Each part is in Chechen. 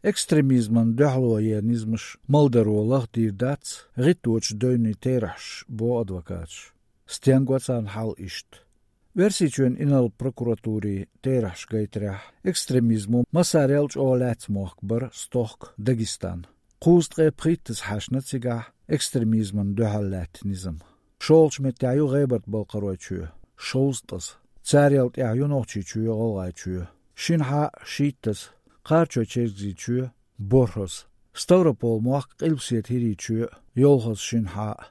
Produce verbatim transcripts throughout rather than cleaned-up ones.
Экстремизман дуьхьало яь низамаш малдаро лахдийр дац гӀитточу девнийн терахьаш, боху адвокаташа. Стенга царна хьал иштта? Оьрсийчоьнан инарла прокуратурин терахьаша гайтарехь, экстремизмо массарел а чӀогӀа лаьцна мохк бара стохка Дагестан. Кхузткъе пхийттаза хьаьшна цигахь экстремизмана дуьхьал лаьтта низам. ШолгӀачу меттехь ю ГӀебарта-Балкхаройчоь, шовзткъаза. Царел тӀаьхьа ю Нохчийчоь, ГӀалгӀайчоь, шинхьа а, шийттаза. Кхарачой-Чергазийчоь, борхӀаза. Ставрополь-мохк, Къилбаседа ХӀирийчоь, йолхаза, шинхьа а.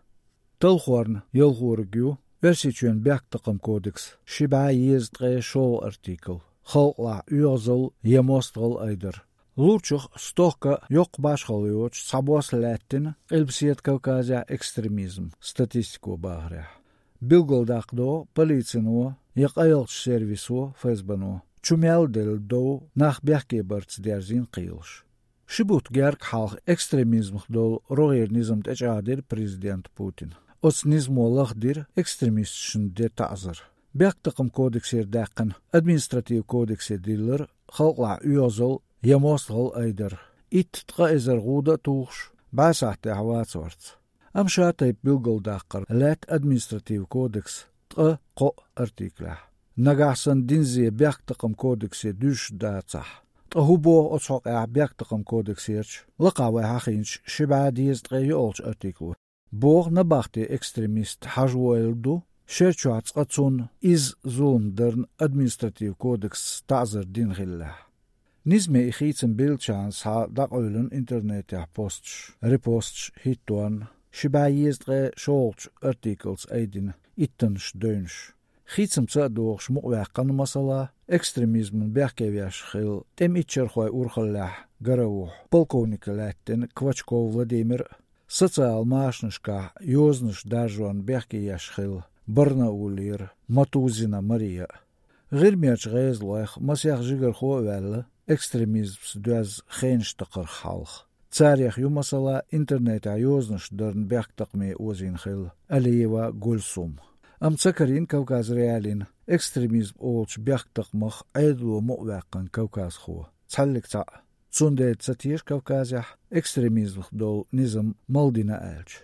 Талхорна ялхораг ю Оьрсийчоьнан бехктакхаман кодексан ши бӀе езткъе шолгӀа артикл, халкъалахь оьгӀазалла я мостагӀалла айдар. Лурчух стохка йоккха башхалла йоцуш цхьабосса лаьттина Къилбаседа Кавказехь экстремизм, статистико бахарехь. Билгалдаккха догӀу полицино я къайлахчу сервисо, ФСБ-но, чу мел делла дов нах бехке барца дерзийна кхелаш. Ши бутт герга хьалха экстремизмах долу рогӀера низам тӀечӀагӀдира президента Путина. Оцу низамо лахдира экстремисташна ден таӀзар. Бехктакхаман кодексера даьккхина административ кодексе диллира халкъалахь оьгӀазалла я мостагӀалла айдар, итт-ткъа эзар гӀуда а тухуш, бӀе сахьтехь вацаварца. Амма ша тайпа билгалдаккхар лаьтта административ кодексан ткъа кхоъ артиклехь. Нагахь санна динзе бехктакхаман кодексе дуьзуш дацахь, ткъа хӀун боху оцу хьокъехь бехктакхаман кодексерчу, лакхахь вай хьахийначу ши бӀе дезткъе йоьалгӀачу артикло? Боху набахте экстремист хьажа войла ду, шер чохь цкъа цунна изза зулам дарна административ кодексца таӀзар дина хиллехь. Низаме и хийцам биллачарна схьа дӀакъевлина интернетехь посташ, репосташ хӀитторна, ши бӀе езткъе шолгӀачу артиклца айдина иттаннаш девнаш. Хийцамца а догӀуш мукъаваьккхина, масала, экстремизмана бехке веш хилла тӀеман иччархойн урхаллехь гара а вухьа полковнике лаьттина Квачков Владимир а, социал машанашкахь йозанаш даржорна бехке еш хилла Барнаулера Матузина Мария а. ГӀирмерчу гӀезалойх масех жигархо а ваьлла, экстремизмца доьзна хенаш такхарх хьалха. Царех ю, масала, интернетехь йозанаш дарна бехктакхаме озийна хилла Алиева Гульсум. Амма ца карийна Кавказ.Реалиин экстремизм олучу бехктакхамах Ӏедало мукъаваьккхина кавказхо, цхьаьллиг цхьаъ. Цундела ца теша Кавказехь экстремизмах долу низам мала дина аьлча.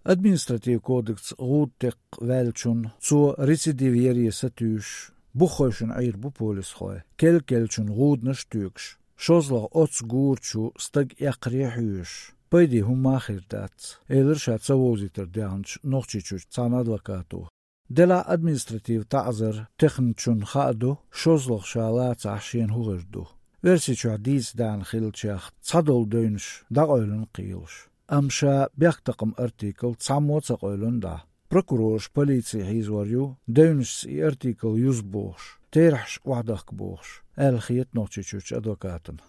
Административ кодексца гӀуда текха ваьллачунна, цо рецидив яре сатуьйсуш, буххойшинна Ӏийр бу полисхой, кел-келлачунна гӀуданаш а туьйгуш, шозлагӀа оццу гура чу стаг эккхаре а хьоьжуш, пайде хӀумма а хир дац, элира ша ца вовзийтар даьхначу Нохчийчуьрчу цхьана адвокато. Делахь административ таӀзар техначунна хаа ду, шозлагӀа ша лацахь, шена хӀун хир ду. Оьрсийчохь дийца даьхна хиллачех цхьадолу девнаш дӀакъевлина кхелаш. Амма ша бехктакхаман артикл цхьаммо а ца къевлина дӀа. Прокурораш полици хьийзор ю, девнашца и артикл юза бохуш, терахьаш охьадахка бохуш, аьлла хета Нохчийчуьрчу адвокатана.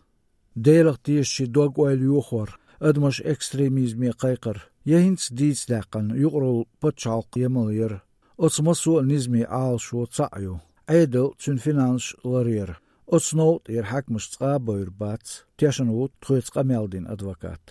Делах тешачийн дог-ойла йохор, адамаш экстремизме кхайкхар я хӀинца дийца даьккхина юкъаралла пачхьалкх ямал яр, оцу массо а низамийн Ӏалашо цхьаъ ю: Ӏедал, цуьнан финансаш ларъяр. Оцу новкъа тӀера хьаькамаш цкъа а бовр бац, тешна ву тхоьца къамел дина адвокат.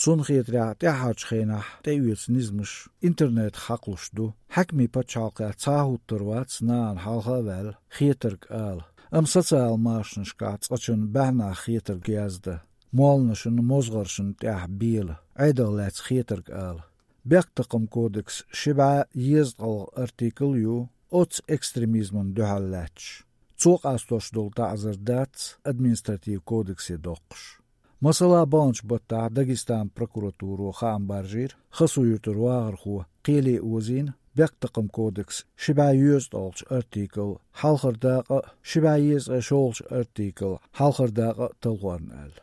Цунна хетарехь, тӀаьххьарчу хенахь тӀеоьцу низамаш интернетах хьакхалуш ду, хьаькамийн пачхьалкхехь цхьа а хӀуттур вац нахана хьалха а ваьлла хетарг ала. Амма социал машанашкахь цкъачунна баьхьнах хетарг яздан, молланашна, мозгӀаршна тӀехь бела, Ӏедалх лаьцна хетарг ала. Бехктакхаман кодексан ши бӀе езткъалгӀа артикл ю оццу экстремизмана дуьхьал лаьтташ. Цо къастош долу таӀзар дац административ кодексе доккхуш. Масала, баханчу баттахь Дагестанан прокуратуро хаам баржийра, Хасуюртара вахархо кхеле озийна бехктакхаман кодексан ши бӀе йоьзткъалгӀачу артикл, хьалхара дакъа а, ши бӀе езткъе шолгӀачу артикл, хьалхара дакъа а талхорна аьлла.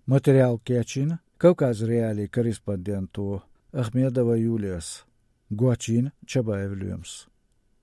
Материал кечйина Кавказ.Реалиин корреспонденто Ахмедова Юлияс, гочйина Чабаев Лоьмас.